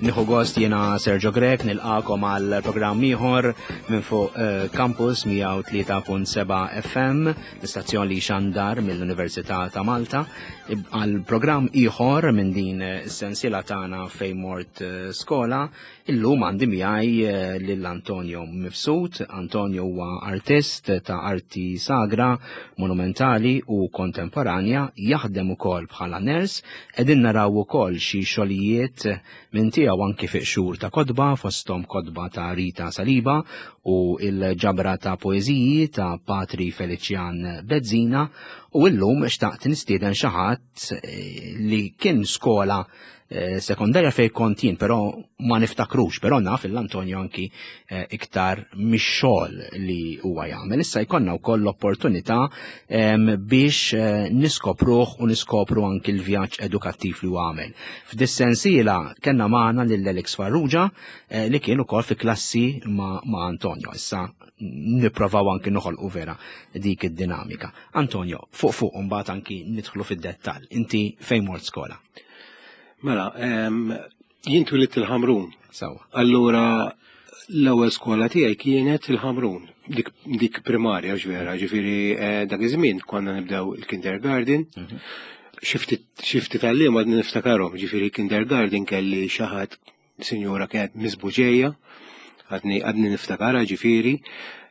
Nieħu gost jiena Sergio Grech nilqakom għal programm ieħor minn fuq eh, Campus 103.7 FM, l-istazzjon li xandar mill-Università ta' Malta, għal programm ieħor minn din is-sensiela tagħna fejn mort eh, skola Illum għandi miegħi eh, lil Antonio Mifsud. Antonio huwa artist ta' arti sagra, monumentali u kontemporanja, jaħdem ukoll bħala ners, qegħdin naraw ukoll xi xogħlijiet minn tiegħu anki fi xhur ta' kotba, fosthom kotba ta' Rita Saliba u il-ġabra ta' poeżiji ta' Patri Felician Bezzina u illum xtaqt nistieden xi ħadd eh, li kien skola Eh, sekondarja fej kont jien, però ma niftakrux, però naf il-Antonio anki eh, iktar mix-xogħol li huwa jagħmel. Issa jkollna wkoll l-opportunità biex eh, niskopruh u niskopru anki l-vjaġġ edukattiv li huwa għamel. F'dis-sensiela kellna magħna lil Alex Farrugia li kien ukoll fi klassi ma', ma Antonio. Issa nipprovaw anki noħolqu vera dik id-dinamika. Antonio, fuq fuq mbagħad anki nidħlu fid-dettall. Inti fejn mort skola? Mela, jien twilidt il-Ħamrun. Sawa. Allura l-ewwel skola tiegħi kienet il-Ħamrun, dik, dik primarja ġvera, ġifieri eh, dak iż-żmien konna nibdew il-kindergarten. Mhm. Xi ftit għalliem għadni niftakarhom, ġifieri kindergarten kelli xi ħadd Sinjura kienet Miss Buġeja, għadni għadni niftakarha ġifieri.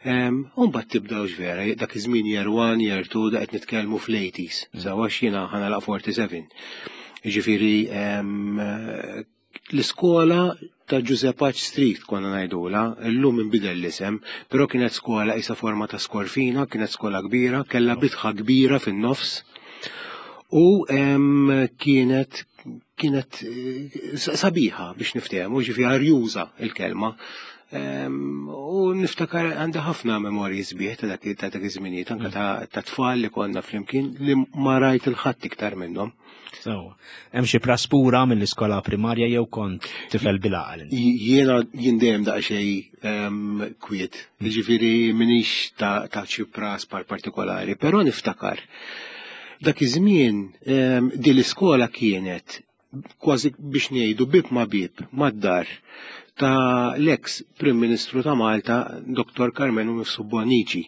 Umbagħad tibda vera, dak iż-żmien year 1, year 2, da qed nitkellmu fl-80s, mm. sawa x'jiena ħanalaq 47. Ġifieri l-iskola ta' Giuseppe Street konna ngħidula, illum inbidel l-isem, però kienet skola isa forma ta' skorfina, kienet skola kbira, kellha bitħa kbira fin-nofs u kienet kienet eh, sabiħa biex niftehmu, ġifi arjuża il-kelma. U niftakar għandi ħafna memorji sbieħ ta' dak ta' dak iż-żminijiet, anke mm. ta' tfal li konna flimkien li ma rajt il-ħadd iktar minnhom. So, hemm xi praspura mill-iskola primarja jew kont tifel bil-għaqal? Jiena jien dejjem daqsxejn kwiet, mm. jiġifieri minix ta' xi praspar partikolari, però niftakar Dak iż-żmien ehm, din l-iskola kienet kważi biex ngħidu bib ma' bib mad-dar ta' l-eks Prim Ministru ta' Malta, Dr. Carmenu Mifsud Bonnici.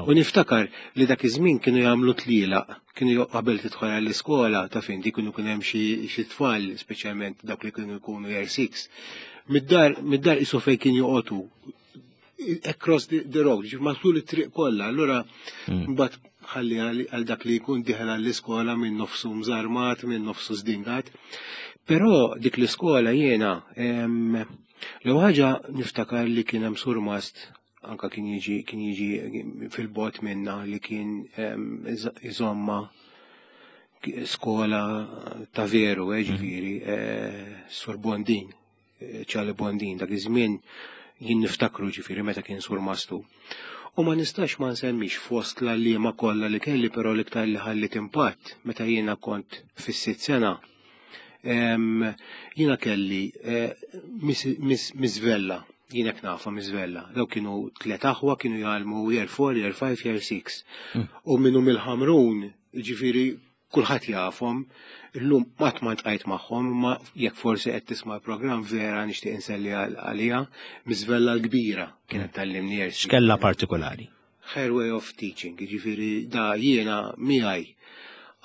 U niftakar li dak iż-żmien kienu jagħmlu tlielaq, kienu qabel tidħol għall-iskola ta' fin di kienu kien hemm xi tfal, speċjalment dawk li kienu jkunu year 6. Mid-dar mid-dar isu fejn kien joqogħdu across the, the road, ġif matul it-triq kollha, allura hmm. mbagħad ħalli għal dak li jkun diħel għall-iskola minn nofsu mżarmat, minn nofsu zdingat. Però dik l-iskola jiena l ħaġa niftakar li kien hemm surmast anka kien jiġi kien jiġi fil-bot minna li kien iżomma skola ta' veru, eh, ġifieri, hmm. eh, Sur Bondin Charlie Bondin dak iż-żmien jien niftakru ġifieri meta kien sur mastu. U ma nistax ma nsemmix fost l-għalliema kollha li kelli però l-iktar li ħallit impatt meta jiena kont fis-sitt sena. Jiena kelli eh, Miss Vella, jiena nafa Miss Vella. Daw kienu tliet aħwa kienu jgħallmu year 4, year 5, year 6. Mm. U minnu mill-Ħamrun, ġifieri kulħadd jafhom, illum qatt ma ltqajt magħhom, imma jekk forsi qed tisma' l-programm vera nixtieq inselli għaliha, Miżvella l-kbira kienet tallimni ersi. X'kellha partikolari? Her way of teaching, jiġifieri da jiena miegħi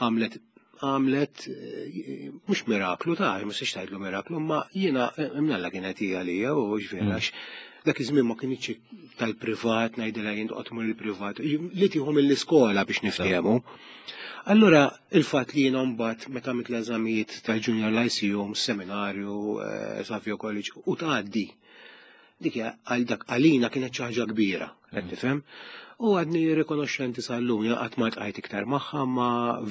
għamlet għamlet eh, mhux miraklu ta' mhux tgħidlu miraklu, imma jiena eh, imnalla kienet hija għalija u ġifieri mm. għax dak iż-żmien ma kienx tal-privat ngħidilha jien toqgħod mur il-privat, li tieħu mill-iskola biex niftehmu. Allura il-fatt li jiena mbagħad meta għamilt l-eżamijiet tal-Junior Lyceum, seminarju, eh, Savio College u tgħaddi. Dik għal dak għalina kienet xi ħaġa kbira, qed mm. tifhem? U għadni rikonoxxenti sal-lum, jien qatt ma tqajt iktar magħha, ma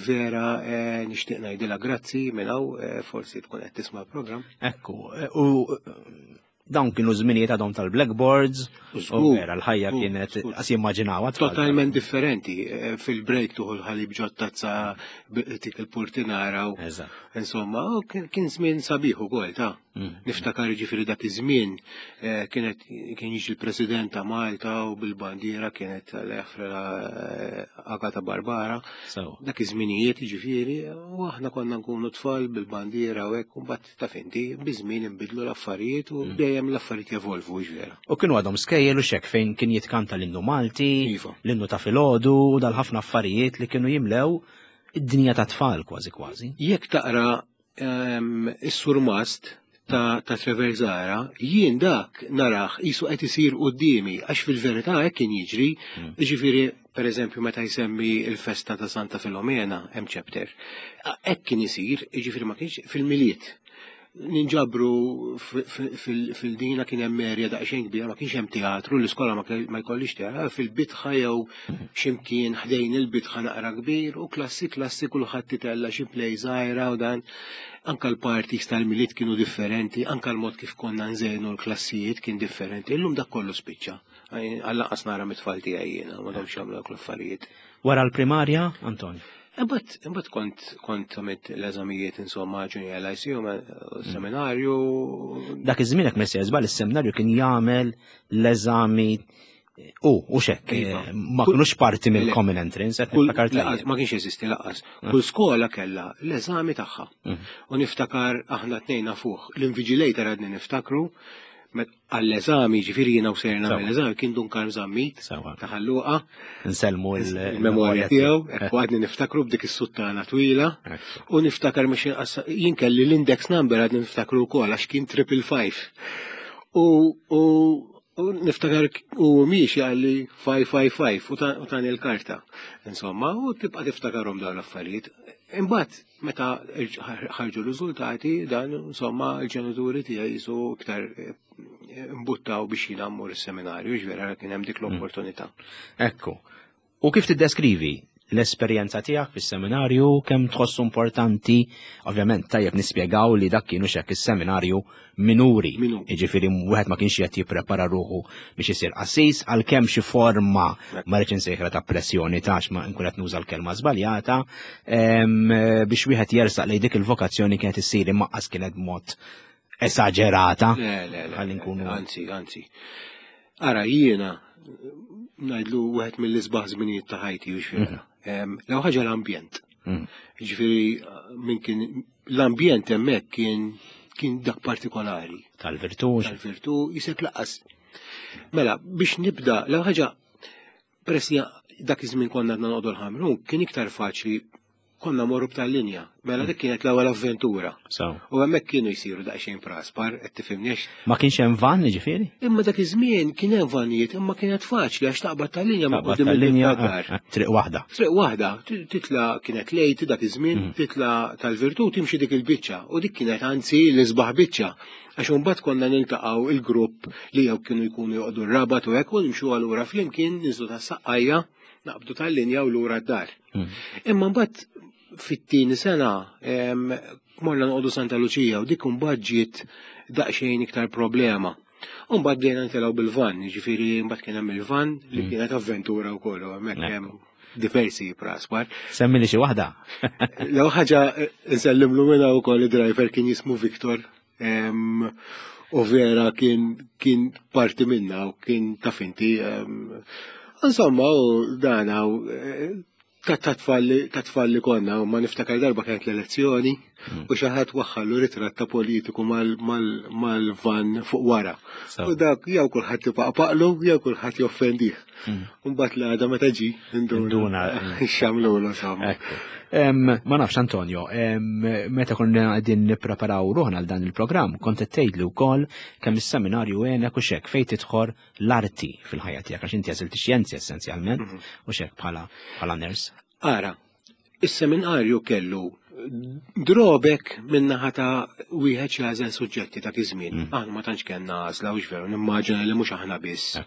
vera eh, nixtieq ngħidilha grazzi minn hawn eh, forsi tkun qed tisma' l-programm. Ekku, u Dawn kienu żminijiet għadhom tal-blackboards, u vera l-ħajja kienet qas jimmaġinawha. Totalment differenti. Eh, fil-break tuħu l-ħalib ġod tazza tik il-purtinara. Insomma, kien żmien sabiħ ukoll ta'. Niftakar ġifieri dak iż-żmien eh, kienet kien jiġi l-President ta' Malta u bil-bandiera kienet l-Efra eh, Agata Barbara. Dak iż-żminijiet ġifieri u aħna konna nkunu tfal bil-bandiera u hekk u mbagħad taf inti biż-żmien inbidlu l-affarijiet u mm. dejjem l-affarijiet jevolvu ġvera. U kienu għadhom skejjel u xek fejn kien jitkanta l-innu Malti, iva. l-innu ta' filgħodu u dal-ħafna affarijiet li kienu jimlew id-dinja ta' tfal kważi kważi. Jekk taqra ehm, is-surmast ta', ta Trevor Zara, jien dak naraħ jisu qed isir qudiemi għax fil-verità hekk kien jiġri, mm. jiġifieri per eżempju meta jsemmi il-festa ta' Santa Filomena hemm chapter. Hekk kien isir, jiġifieri ma kienx fil-miliet. Ninġabru fil-dina kien hemm erja daqsxejn kbira, ma kienx hemm teatru, l-iskola ma jkollix teatru, fil-bitħa jew x'imkien ħdejn il-bitħa naqra kbir u klassi klassi kulħadd titella xi play żgħira u dan. Anka l-parties tal-milied kienu differenti, anka l-mod kif konna nżejnu l-klassijiet kien differenti. Illum dak kollu spiċċa. Għall-anqas nara mit-tfal tiegħi jiena, ma domx jagħmlu dawk l-affarijiet. Wara l-primarja, Anton? Imbagħad imbagħad kont kont għamilt l-eżamijiet insomma junior lyceum, eh, seminarju. Dak iż-żmien hekk messej żball is-seminarju kien jagħmel l-eżami u u xek, iva. eh, ma kinux parti mill-common entrance, qed niftakar Ma kienx jeżisti laqas. Ah. Kull skola kellha l-eżami tagħha. Mm. U niftakar aħna tnejna fuq l-invigilator għadni niftakru għall-eżami, ġifiri jiena u sejr nagħmel l-eżami, kien Dun Karm Zammit ta' Ħalluqa. Nsellmu il-memorja tiegħu, hekk għadni niftakru b'dik is-suttana twila. U niftakar mhux inqas jien kelli l-index number għadni niftakru wkoll għax kien triple five. U u niftakar u miex jgħalli 555 u tani l-karta. Insomma, u tibqa' tiftakarhom dawn l-affarijiet. Imbagħad Meta ħarġu r-riżultati, dan insomma l-ġenituri tiegħi jisu iktar eh, mbuttaw biex jiena mmur is-seminarju, ġvera kien hemm dik mm. l-opportunità. Ekku. U kif tiddeskrivi l-esperjenza tiegħek fis-seminarju, kemm tħossu importanti, ovvjament tajjeb nispjegaw li dak kienu xek is-seminarju minuri. Jiġifieri wieħed ma kienx qed jipprepara ruħu biex isir qassis għalkemm xi forma ma rridx insejħla ta' pressjoni tax ma nkun qed nuża l-kelma żbaljata biex wieħed jersaq lejn dik il-vokazzjoni kienet issir imma qas kienet b'mod esaġerata. Le, le, le. Nkunu. Anzi, anzi. Ara jiena ngħidlu wieħed mill-isbaħ żminijiet ta' ħajti u xfira. Mhm. L-ewwel ħaġa l-ambjent. Mhm. Ġifieri minn kien l-ambjent hemmhekk kien kien dak partikolari. Tal-virtù. Tal-virtù, jisek laqas. Mela, biex nibda, l ħaġa, peress dak iż-żmien konna għadna noqogħdu l-ħamru, kien iktar faċli konna morru b'tal-linja. Mela dik kienet l-ewwel avventura. U hemmhekk kienu jsiru daqsxejn praspar, qed tifhimniex. Ma kienx hemm van, jiġifieri? Imma dak iż-żmien kien hemm vanijiet, imma kienet faċli għax taqbad tal-linja ma quddiem il-linja eh, eh, triq waħda. Triq waħda, titla kienet lejt dak iż-żmien, mm. titla tal-virtù timxi dik il-biċċa u dik kienet anzi l-isbaħ biċċa. Għax imbagħad konna niltaqgħu il-grupp li jew kienu jkunu joqogħdu r-rabat u hekk u nimxu allura flimkien niżlu tas-saqqajja naqbdu tal-linja u lura d-dar. Mm. Imma mbagħad fit-tieni sena morna noqogħdu Santa Luċija u dik imbagħad ġiet daqsxejn iktar problema. U mbagħad bdejna nitilgħu bil-van, jiġifieri mbagħad kien hemm il-van li mm. kienet avventura wkoll u hemmhekk hemm diversi praspar. Semmi li xi waħda. Lew ħaġa nsellimlu minna wkoll id-driver kien jismu Victor. U vera kien kien parti minna u kien taf inti. Insomma, u dan eh, ta' tfal li konna, u ma niftakar darba kienet l-elezzjoni hmm. u xi ħadd waħħallu ritratt ta' politiku mal-van fuq wara. U dak jew kulħadd ipaqpaqlu jew kulħadd joffendih. Hmm. Mbagħad l-għada meta ġi induna x'għamlulu insomma. Ma nafx Antonio, meta konna qegħdin nippreparaw ruħna għal dan il-programm, kont qed tgħidli wkoll kemm is-seminarju għenek u xek fejn tidħol l-arti fil-ħajja tiegħek għax inti għażilt ix-xjenzi essenzjalment mhm. u xek bħala bħala ners. Ara, is-seminarju kellu drobek minnaħa ta' wieħed jagħżel suġġetti ta' iż-żmien. Mm. Aħna ma tantx kellna għażla u veru nimmaġina li mhux aħna biss.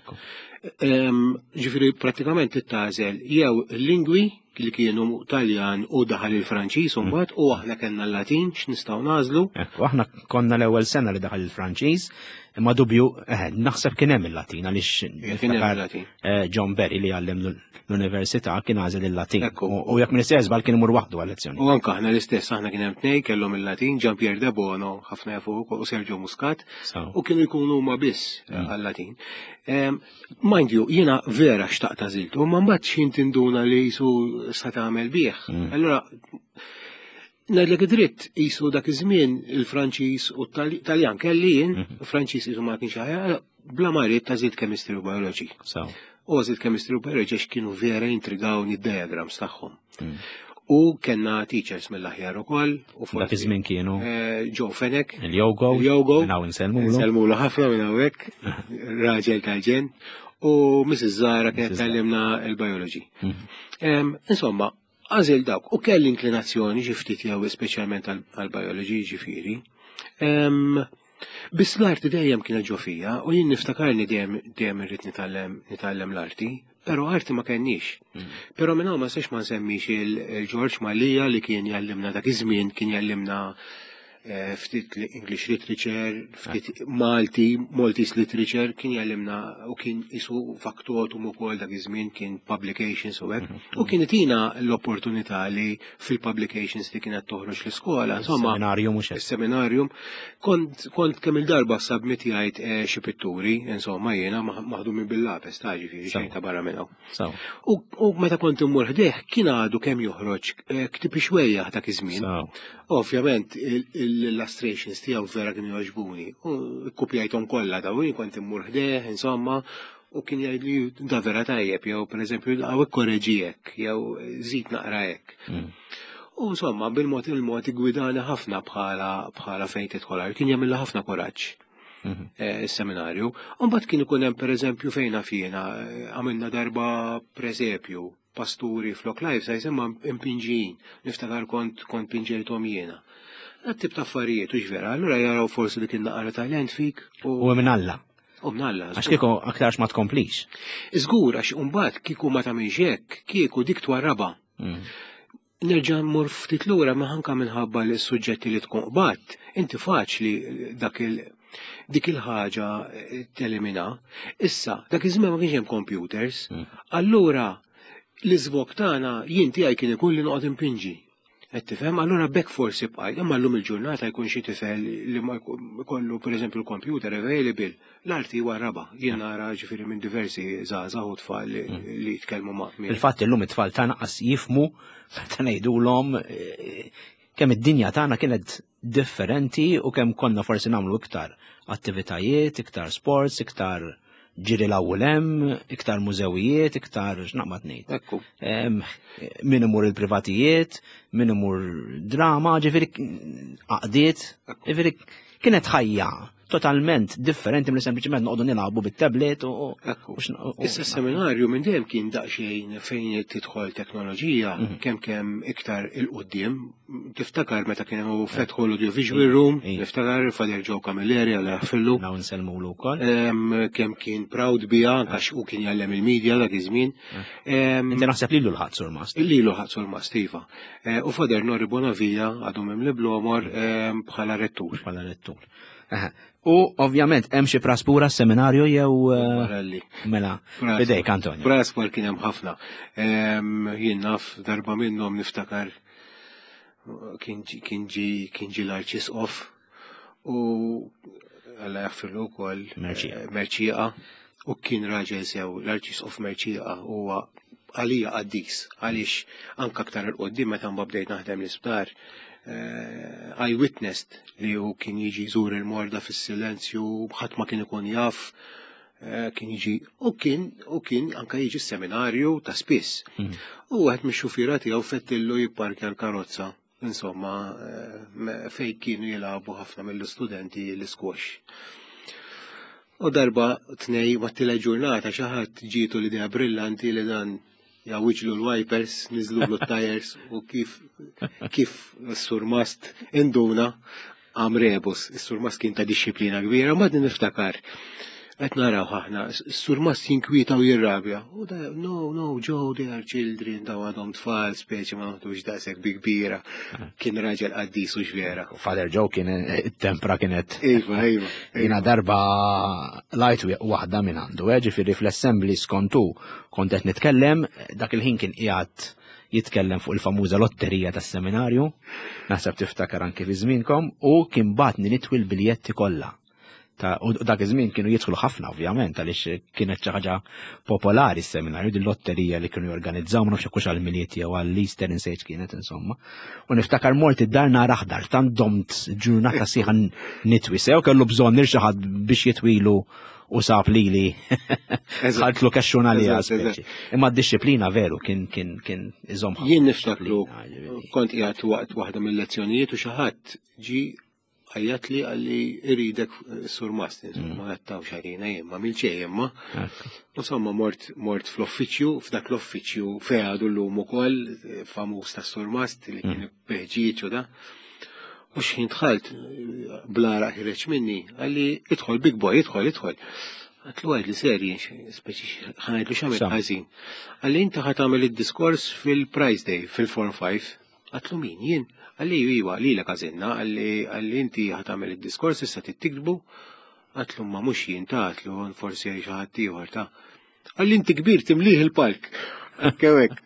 Ġifieri prattikament tagħżel jew lingwi li kienu Taljan u daħal il-Franċiż mm. mbagħad u aħna kellna l-Latin x'nistgħu nagħżlu. Ekku, aħna konna l-ewwel sena li daħal il-Franċiż. Imma dubju, eh, naħseb kien hemm il-Latin għaliex Kien hemm il-Latin. Eh, John Berry li għallem l-università kien għażel il-Latin. U jekk minn żball kien imur waħdu għal-lezzjoni. U anke aħna l-istess, aħna kien hemm tnej kellhom il-Latin, Jean Pierre De Bono, ħafna jafu u Sergio Muscat, u kienu jkunu huma biss eh, mm. għal-Latin. Mind you, jiena vera xtaqt għażiltu, ma mbagħad x'in tinduna li jisu sa tagħmel bih. Mm. Allura Ngħidlek id-dritt, qisu dak iż-żmien il-Franċiż u t-Taljan kelli jien, mhm. Franċiż qisu ma kienx aħjar, bla ma rrid tażid chemistry u biology. U għażilt chemistry u biology għax kienu vera intrigawni d-diagrams tagħhom. Mm. U kellna teachers mill-aħjar ukoll. U dak iż-żmien kienu. Eh, Joe Fenek. Il-Jogo. Il-Jogo. Minn hawn insellmulu. Insellmulu ħafna minn hawnhekk. Raġel tal-ġen. U Mrs. Zara kienet tallimna il-biology. Mhm. Insomma, Għażil dawk u kelli inklinazzjoni xi ftit jew speċjalment għall-biology ġifieri. Biss l-arti dejjem kienet ġo fija u jien niftakarni dejjem dejjem irrid nitgħallem nitgħallem l-arti, però arti ma kenniex. Mm. Però minn hawn ma nistax ma nsemmix il-Ġorġ Mallia li kien jgħallimna dak iż-żmien kien jgħallimna Eh, ftit English literature, ftit Malti, Maltese literature, kien jgħallimna u kien isu faktotum ukoll dak iż-żmien kien publications u hekk. Mhm. U kien itina l-opportunità li fil-publications li kienet toħroġ l-iskola, insomma. Seminarium mhux Seminarium. Kont kont kemm il-darba submitjajt eh, xi pitturi, insomma jiena maħdumin bil-lapes ta' ġifieri xejn ta' barra minn hawn. U meta kont immur ħdejh kien għadu kemm joħroġ eh, ktib ixwejjaħ dak iż-żmien. Ovvjament l-illustrations tiegħu vera kienu jogħġbuni. U kkupjajthom kollha dawn, jien kont immur ħdejh, insomma, u kien jgħidli da vera tajjeb, jew pereżempju hawn ikkoreġi hekk, jew żid naqra hekk. Mm. U insomma, bil-mod il-mod igwidani ħafna bħala bħala fejn tidħol kien jagħmilha ħafna kuraġġ. Mhm. Eh, is-seminarju. Mbagħad kien ikun hemm pereżempju fejn jiena eh, għamilna darba presepju pasturi flok life size imma impinġijin. Niftakar kont kont pinġejthom jiena. Dat tip ta' affarijiet u vera, allura jaraw forsi li kien naqra talent fik. U minn Alla. U minn Alla. Għax kieku aktarx ma tkomplix. Żgur għax imbagħad kieku ma tagħmilx hekk, kieku dik twarraba. Mm. Nerġa' mmur ftit lura ma anka minħabba li s-suġġetti li tkun qbadt, inti faċli dak il dik il-ħaġa eh, telimina. Issa, dak iż-żmien ma kienx hemm computers, mm. allura l-iżvok tagħna jien tiegħi kien ikun li noqgħod impinġi. Qed tifhem, allura bekk forsi bqajt, imma llum il-ġurnata jkun xi tifel li ma jkollu pereżempju l-computer available, l-arti huwa raba. Jien nara ġifieri minn diversi żgħażagħ u tfal li mm. jitkellmu ma' Il-fatt illum it-tfal tagħna qas jifmu meta ngħidulhom eh, kemm id-dinja tagħna kienet differenti u kemm konna forsi nagħmlu iktar attivitajiet, iktar sports, iktar ġiri l hemm, iktar mużewijiet, iktar x'naqbad ngħid. Ekku. Min imur il-privatijiet, min imur drama, ġifieri għaqdiet, ġifieri kienet ħajja totalment differenti mill sempliċement noqogħdu nilagħbu bit-tablet u. Issa seminarju minn dejjem kien daqsxejn fejn tidħol teknoloġija mhm. kemm kemm iktar il-qudiem. Tiftakar meta kienu fetħu l-audiovisual room, niftakar Fader Joe Camilleri għal jaħfillu. Naw nsellmulu wkoll. Kemm kien proud biha għax u kien jgħallem il-media dak iż-żmien. Inti naħseb lilu l-ħadd sur mast. Lilu ħadd sur mast iva. Eh, u Fader Nori Bonavija għadu mimli blomor bħala rettur. Bħala rettur. U ovvjament hemm xi praspura seminarju jew eh, mela bidejk Antonio. Praspur kien hemm ħafna. Jien naf darba minnhom niftakar kien ġi kien ġi l-arċisqof u Alla jaffirlu wkoll eh, Merċieqa u kien raġel sew l-arċisqof Merċieqa huwa għalija qaddis għaliex anka aktar il-qoddim meta mbagħad bdejt naħdem l-isptar eh, I witnessed li hu kien jiġi jżur il-morda fis-silenzju, ħadd ma kien ikun jaf, eh, kien jiġi u kien u kien anka jiġi seminarju ta' spiss. Mm. U għed mix-xufiera tiegħu fettillu jipparkja l-karozza. Insomma, eh, fej kienu jilagħbu ħafna mill-istudenti l-squash. U darba tnej ma t ġurnata xi ħadd ġietu l-idea brillanti li dan jgħawwiġlu l-wipers, niżlulu t-tires u kif kif s-surmast induna għam rebus. Is-surmast kien ta' disċiplina kbira, ma din niftakar. Qed naraw aħna, s-surmast jinkwieta u jirrabja. U da, no, no, Joe, they are children, daw għadhom tfal, speċi ma naħdux daqshekk bi kbira. Kien raġel qaddis u x'vera. Father Joe kien it-tempra kienet. Iva, iva. Jiena darba lajt waħda minn għandu, eh, ġifieri fl-assembly skontu kont qed nitkellem, dak il-ħin kien qiegħed jitkellem fuq il-famuża lotterija tas-seminarju, naħseb tiftakar anki fi żmienkom, u kien bagħatni nitwi l-biljetti kollha. Ta' u dak iż-żmien kienu jidħlu ħafna ovvjament għaliex kienet xi ħaġa popolari s-seminarju din lotterija li kienu jorganizzaw ma nafx hekk hux għall-Milied jew għall-Easter insejt kienet insomma. U niftakar mort id-dar nar aħdar tant domt ġurnata sieħa nitwi sew kellu bżonn lil xi ħadd biex jitwilu u sab lili. Ħaltlu kexxuna li Imma d-disciplina veru kien kien kien iżomm. Jien niftakru kont qiegħed waqt waħda mill-lezzjonijiet u xi ħadd ġi għajjatli għalli iridek sur mast, insomma, għattaw xarina jien, ma milċej imma. Insomma, mort, mort fl-uffiċju, f'dak l-uffiċju fej għadu l-lum ukoll, famuż ta' sur mast li kien mm. beħġieġ u da. U xħin dħalt, blara ħireċ minni, għalli idħol big boy, idħol, idħol. Għatlu għajt li serji, speċi ħanajdlu xamil ħażin. Għalli inti ħatamel id-diskors fil-Prize Day, fil-Form 5. Għatlu min, jien? Għalli iwa, li l għażilna, għalli inti ħa tagħmel id-diskors issa tittiktbu. Għatlu ma mhux jien ta' għatlu forsi xi ħadd ieħor ta'. Għalli inti kbir timlih il-palk. Kewek.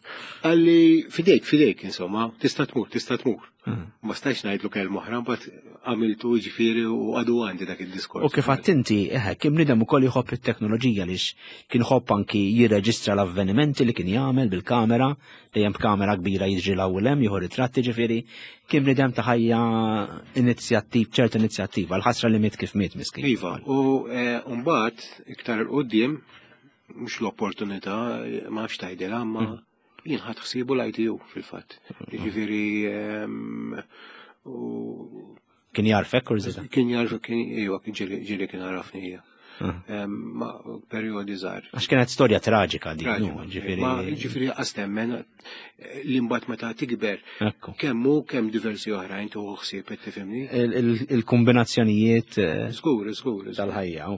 Għalli fidejk, fidejk, insomma, tista' tmur, tista' tmur. Mm. Ma stajx ngħidlu kelma oħra, mbagħad għamiltu ġifieri u għadu għandi dak id-diskors. U kif għadt inti, eħe, kien bniedem ukoll jħobb it-teknoloġija lix kien ħobb anki jirreġistra l-avvenimenti li kien jagħmel bil-kamera, dejjem b'kamera kbira jiġri l hawn hemm jieħu ritratti ġifieri kien bniedem ta' ħajja inizjattiv, ċerta inizjattiva, l-ħasra li miet kif miet miskin. Iva, u eh, mbagħad iktar il qudiem mhux l-opportunità ma nafx tgħidilha, ma mm. jien ħadd ħsiebu l-ITU fil-fatt. Jiġifieri ehm, Kien jarfek kurżità? Kien jarfek, kien iwa, kien ġieli kien għarafni hija. Ah. Ma periodi żgħar. Għax kienet storja traġika dik, ġifieri. Ġifieri qas temmen eh, li mbagħad meta tikber. Kemm hu kemm diversi oħrajn tuħu ħsieb qed tifhimni. Il-kombinazzjonijiet eh, Żgur, żgur. Tal-ħajja.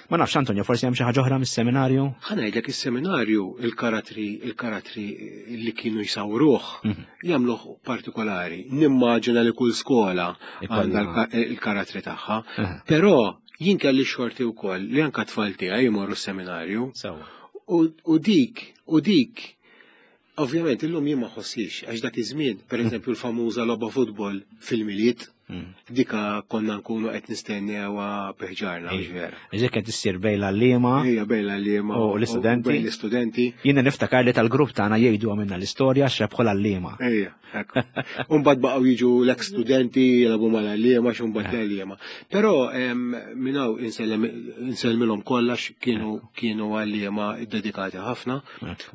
Ma nafx Antonio, forsi hemm xi ħaġa oħra mis-seminarju? Ħa ngħidlek is-seminarju il-karattri il-karattri li kienu jsawruh mhm. jagħmluh partikolari. Nimmaġina li kull skola għandha il-karattri tagħha, però jien kelli xorti wkoll li anka tfal tiegħi jmorru s-seminarju. U dik, u dik Ovvjament illum jien ma ħossix għax dak iż-żmien, pereżempju l-famuża logħba futbol fil-Milied, mm. dika konna nkunu qed nistennewha biħġarna mhux vera. Ġek qed issir bejn l-għalliema. Ejja bejn l-għalliema u l-istudenti. Bejn l-istudenti. Jiena niftakar li tal-grupp tagħna jgħidu għamilna l-istorja x'rebħu l-għalliema. Ejja, ekku. Umbagħad baqgħu jiġu l-ex studenti jilagħbu mal-għalliema x'umbagħad l-għalliema. Però minn hawn insellmilhom kollha kienu kienu għalliema ddedikati ħafna.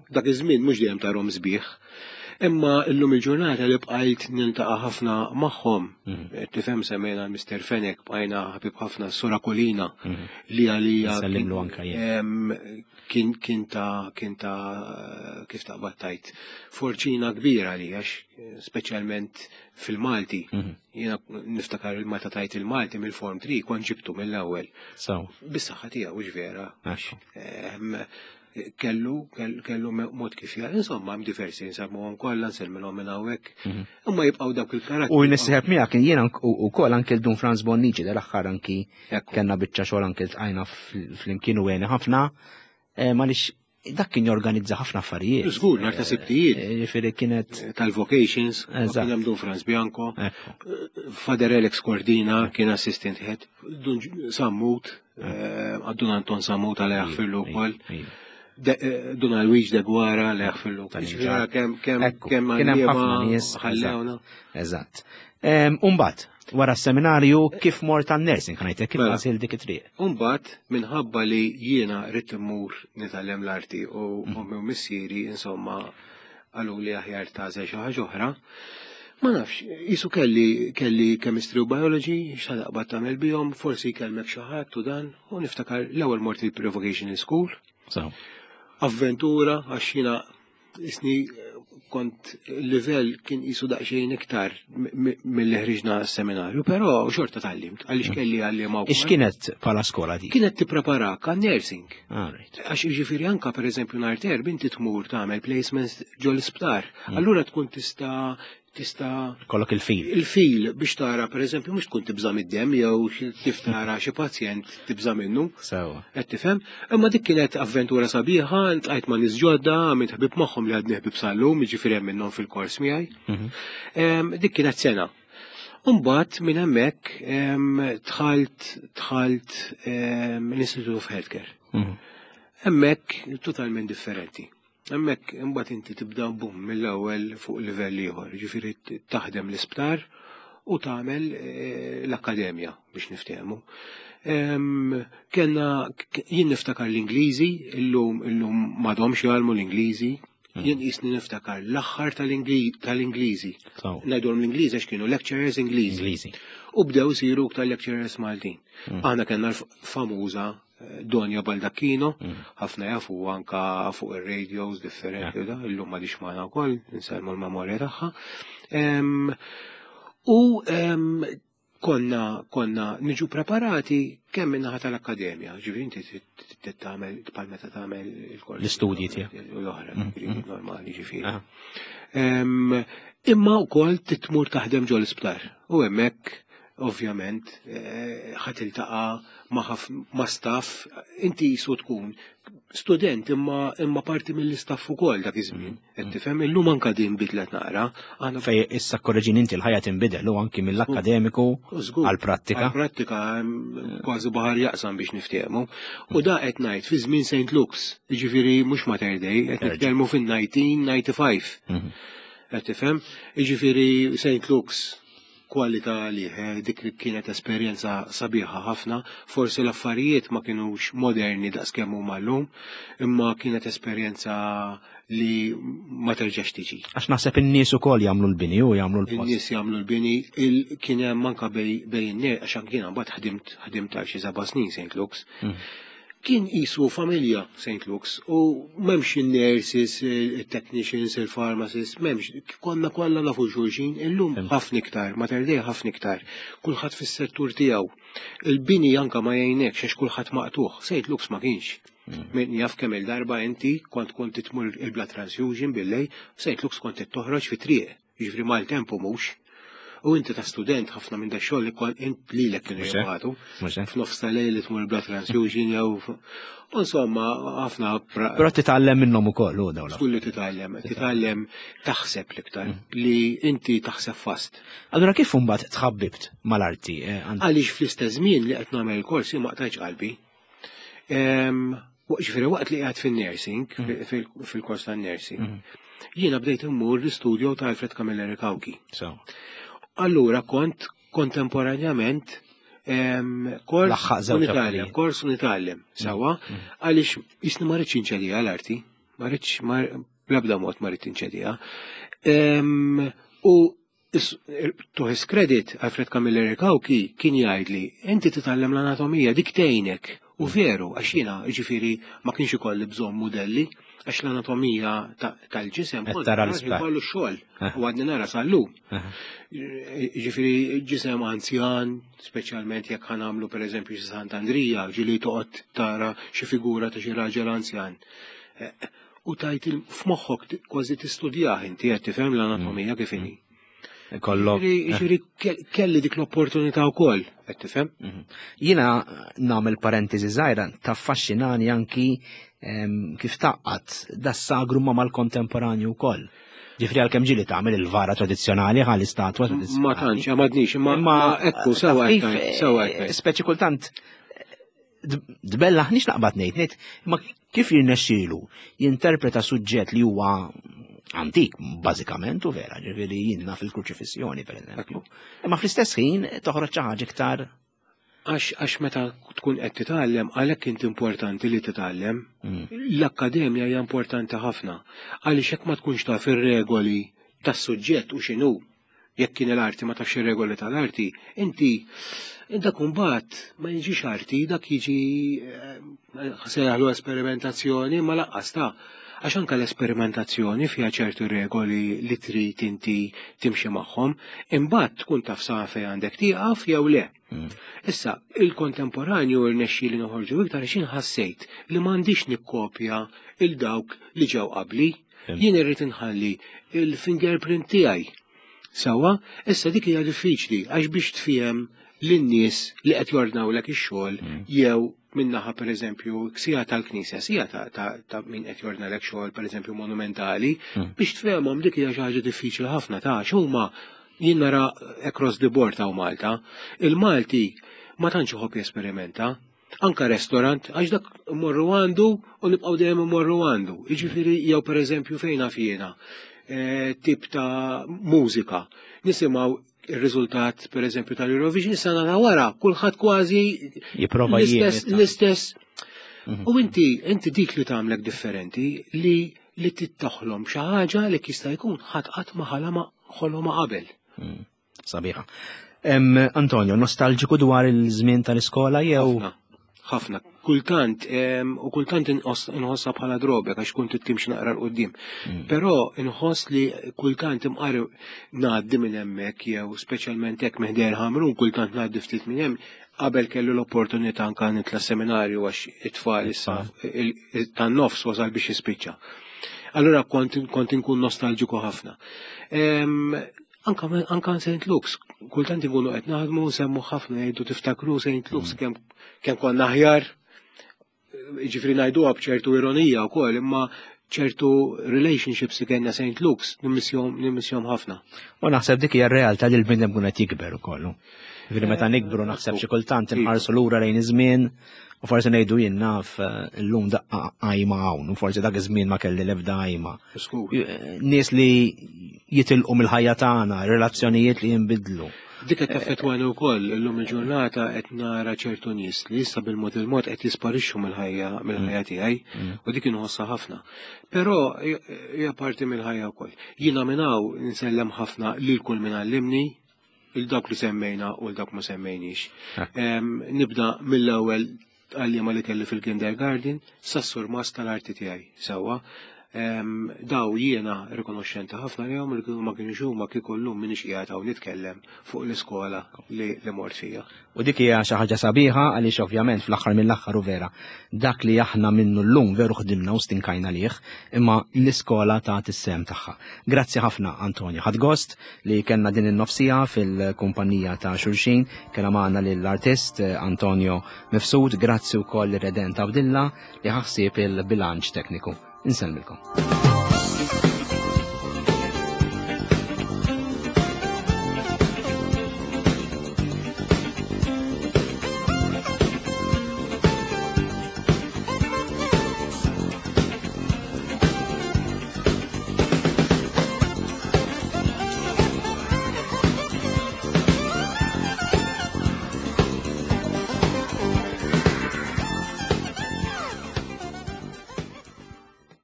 Dak iż-żmien mhux dejjem tarhom sbieħ. Imma illum il-ġurnata li bqajt niltaqa' ħafna magħhom, mhm. eh, tifhem semmejna l-Mr. Fenek, bqajna ħabib ħafna s-Sura Kolina mhm. li għalija kien kien ta' kien ta' kif taqbad tajt forċina kbira li għax speċjalment fil-Malti. Mhm. Jiena niftakar il-meta tajt il-Malti mill-Form 3 kont ġibtu mill-ewwel. Bis-saħħa tiegħu vera. Kellu, kellu mod kif jgħal, insomma, hemm diversi nsemmuhom kollha, nsellmilhom minn hawnhekk. Mhm. Imma jibqgħu dawk il-karatteri. U nisħeb miegħek jiena wkoll anke l-Dun Franz Bonnici dal-aħħar anki kellna biċċa xogħol anke ltqajna flimkien u għeni ħafna, eh, għaliex dak kien jorganizza ħafna affarijiet. Żgur, nhar ta' sibtijiet. Eh, ġifieri kienet eh, tal-vocations, kien hemm Dun Franz Bianco, Father Alex Cordina kien assistant head, Dun Sammut, Eh, Dun Anton Samut għal jaħfirlu wkoll. Eh, Dun Alwiġ de Gwara li jaħfirlu. Kemm kemm kemm ħafna nies ħallewna. Eżatt. Umbat, wara s-seminarju kif mort għan nursing ħanajtek kif mela. għażil dik it-triq. Umbat, minħabba li jiena rrid immur nitgħallem l-arti u mm. ommi u missieri insomma Qalu li aħjar tagħżel xi ħaġa oħra. Ma nafx, jisu kelli kelli chemistry u biology, x'taqbad tagħmel bihom, forsi jkellmek xi ħadd u dan, u niftakar l-ewwel mort il-pre-vocational school. Avventura għax jiena isni kont livell kien qisu daqsxejn iktar milli ħriġna s-seminarju, però xorta tgħallimt għaliex mm. kelli għalliema wkoll. Ix kienet bħala skola di? Kienet tippreparak għan nursing. Ah, Għax jiġifieri anka pereżempju nhar terb inti tmur tagħmel placements ġol isptar. Mm. Allura tkun tista' tista' kollok il-fil. Il-fil biex tara pereżempju mhux tkun tibża' mid-demm jew kif tara xi pazjent tibża' minnu. Sewa. Qed tifhem? Imma dik kienet avventura sabiħa, ltqajt ma' nies ġodda, għamilt ħbieb magħhom li għadni ħbieb sal-lum, jiġifieri hemm minnhom fil-kors miegħi. Mhm. Dik kienet sena. Umbagħad minn hemmhekk dħalt dħalt l-Institute of Healthcare. Mhm. Hemmhekk totalment differenti. Hemmhekk imbagħad inti tibda bum mill-ewwel fuq livell ieħor, ġifieri taħdem l-isptar u tagħmel eh, l-akkademja biex niftehmu. Kenna jien niftakar l-Ingliżi, illum illum m'għadhomx jgħallmu l-Ingliżi, hmm. jien qisni niftakar l-aħħar tal-Ingliżi. Ngħidulhom l-Ingliżi għax kienu lecturers Ingliżi. U bdew isiru iktar lecturers Maltin. Hmm. Aħna kellna l-famuża Donja Baldacchino, mm. ħafna jafu anka fuq ir-radios differenti da, illum ma dix magħna wkoll, insellmu l-memorja tagħha. U konna konna niġu preparati kemm minnaħa tal-akkademja, ġifieri inti tagħmel bħal meta tagħmel il-kors. L-istudji tiegħek. L-oħra, mm, mm. normali ġifieri. Imma wkoll titmur taħdem ġol isptar u hemmhekk ovvjament eh, ħa tiltaqa' ma' staff, inti jisu tkun student imma imma parti mill-istaff ukoll dak iż-żmien. Mm. Qed tifhem illum anka din bidlet naqra. Aħna fej issa korreġin inti l-ħajja tinbidel u anki mill-akkademiku għall-prattika. Għall-prattika kważi baħar jaqsam biex niftehmu. U da qed ngħid fi żmien St. Luke's, jiġifieri mhux Mater Dei, qed nitkellmu fin-1995. Mhm. Qed tifhem? Jiġifieri St. Luke's kwalità għalih, eh, dik kienet esperjenza sabiħa ħafna, forsi l-affarijiet ma kinux moderni daqskemm huma llum, imma kienet esperjenza li ma terġax tiġi. Għax naħseb in-nies ukoll jagħmlu l-bini u jagħmlu l-post. In-nies jagħmlu l-bini, kien hemm anke bej in-nies għax anke jiena mbagħad ħdimt ħdimt għal xi seba' snin St. Luke's. Mm. Kien qisu familja St. Luke's u m'hemmx in-nurses, il-technicians, il-pharmacists, m'hemmx, konna kollha nafu xulxin, illum ħafna iktar, Mater Dei ħafna iktar, kulħadd fis-settur tiegħu. Il-bini anka ma jgħinekx għax kulħadd maqtugħ, St. Luke's ma kienx. Mm. Min jaf kemm il-darba inti kont kont titmur il-blood transfusion billej, St. Luke's kont toħroġ fi triq. Jiġifieri maltemp u mhux. U inti ta' student ħafna minn da xogħol li kont int lilek kienu jibgħatu. F'nofs ta' lejl li tmur blood transfusion jew Insomma, ħafna. Però titgħallem minnhom ukoll u dawn. Kulli titgħallem, titgħallem taħseb l-iktar mm. li inti taħseb fast. Allura kif imbagħad tħabbibt mal-arti? Eh, Għaliex fl-istess żmien li qed nagħmel il-kors ma qtajtx qalbi. Ġifieri waqt li qiegħed fin-nursing, mm. fil-kors tan-nursing, mm. jiena bdejt immur l-istudio ta' Alfred Camilleri Cauchi. Allura kont kontemporanjament kors u nitgħallem, kors u nitgħallem mm. sawa, għaliex jisni ma rridx inċedija l-arti, ma rridx bl-ebda mod ma rrid inċedija. U To his credit, Alfred Camilleri Cauchi kien jgħidli, inti titgħallem l-anatomija, dik tgħinek. U veru, għax jiena, jiġifieri, ma kienx ikolli bżonn mudelli, għax l-anatomija tal-ġisem kont tara l-isptar. Kollu xogħol, eh. u għadni nara sal-lum. Eh. Jiġifieri ġisem anzjan, speċjalment jekk ħa nagħmlu pereżempju xi Sant'Andrija, ġieli toqgħod tara xi figura ta' xi raġel anzjan. Eh, u tajt f'moħħok kważi tistudjah inti qed tifhem l-anatomija kif inhi. Kollok. Jiġifieri kelli dik l-opportunità wkoll, qed tifhem? Mhm. Jiena nagħmel parentesi żgħira taffaxxinani anki kif taqqat das-sagru ma mal-kontemporanju wkoll. Ġifri għalkemm ġieli tagħmel il-vara tradizzjonali ħal istatwa tradizzjonali. Ma tantx, għamadnix, imma ekku sewa sewa. Speċi kultant Dbellaħ nix naqbad ngħid, ngħid imma kif jirnexxielu jinterpreta suġġett li huwa antik bażikament u vera, ġifieri jien naf il-kruċifissjoni pereżempju. Imma fl-istess ħin toħroġ xi ħaġa iktar għax għax meta tkun qed titgħallem għalhekk int importanti li titgħallem. Mm. L-akkademja hija importanti ħafna għaliex jekk ma tkunx taf ir-regoli tas-suġġett u x'inhu Jekk kien l-arti ma tafx ir-regoli tal-arti, inti dak imbagħad ma jiġix arti, dak jiġi eh, se jaħlu esperimentazzjoni ma laqqas ta' Għax anke l-esperimentazzjoni fiha ċertu regoli li trid inti timxi magħhom, imbagħad tkun taf sa fejn għandek tieqaf jew le. Issa, il-kontemporanju rnexxieli noħorġu iktar għax jien ħassejt li m'għandix nikkopja il dawk li ġew qabli. Jien irrid inħalli il-fingerprint tiegħi. Sewwa, issa dik hija diffiċli għax biex tfiehem lin-nies li qed jordnawlek ix-xogħol jew minnaħa pereżempju sija tal-knisja, sija ta', ta, ta min qed jordnalek xogħol pereżempju monumentali, biex tfehemhom dik hija xi ħaġa diffiċli ħafna ta' huma jien nara across the board hawn Malta, il-Malti ma tantx iħobb jesperimenta. Anka restaurant, għax dak morru għandu u nibqgħu dejjem immorru għandu. Jiġifieri jew pereżempju fejn naf jiena, eh, tip ta' mużika. Nisimgħu ir-riżultat pereżempju tal-Eurovision sena ta' wara, kulħadd kważi jipprova l-istess l-istess. U inti inti dik li tagħmlek differenti li li tittoħlom xi ħaġa li jista' jkun ħadd qatt ma ħalama ħoloma qabel. Sabiħa. Antonio, nostalġiku dwar il-żmien tal-iskola jew? Ħafna. Kultant, u kultant inħossha bħala drobek għax kont timxi naqra 'l quddiem. Però inħoss li kultant imqar ngħaddi minn hemmhekk jew speċjalment hekk minn ħdejn Ħamrun kultant ngħaddi ftit minn hemm qabel kellu l-opportunità anka nitla' seminarju għax it-tfal issa tan-nofs wasal biex jispiċċa. Allura kont kont inkun nostalġiku ħafna. Anka anka St. Luke's, kultant inkunu qed naħdmu nsemmu ħafna jgħidu tiftakru St. Luke's kemm kemm konna aħjar, jiġifieri ngħiduha b'ċertu ironija wkoll, imma ċertu relationships li kellna St. Luke's nimmissjhom nimmissjhom ħafna. U naħseb dik hija r-realtà li l-bniedem kun qed jikber ukoll. Jiġifieri meta nikbru naħseb xi kultant inħarsu lura lejn iż-żmien u forsi ngħidu jien naf eh, illum daqqa qajma hawn u forsi dak iż-żmien ma kelli l-ebda qajma. Eh, nies li jitilqu mill-ħajja tagħna, relazzjonijiet li jinbidlu. Dik qed taffettwani wkoll illum il-ġurnata qed nara ċertu nies li issa bil-mod il-mod qed jisparixxu mill-ħajja mill-ħajja tiegħi mm. u dik inħossha ħafna. Però hija parti mill-ħajja wkoll. Jiena minn hawn insellem ħafna lil kull min għallimni, il dawk li semmejna u l dawk ma semmejniex. Nibda mill-ewwel għalliema li kelli fil-kindergarten sas-surmast tal-arti tiegħi sewwa. Daw jiena rikonoxxenti ħafna lejhom li kieku ma kienux huma kieku llum m'iniex qiegħed hawn nitkellem fuq l-iskola li li mort fija. U dik hija xi ħaġa sabiħa għaliex ovvjament fl-aħħar mill-aħħar u vera dak li aħna minnu llum veru ħdimna u stinkajna lih, imma l-iskola tat is-sehem tagħha. Grazzi ħafna Antonio. Ħadt gost li kellna din in-nofsija fil-kumpanija ta' xulxin, kellna magħna lill-artist eh, Antonio Mifsud, grazzi wkoll lir-Redent Abdilla li ħaħsieb il-bilanċ tekniku. Insellmilkom.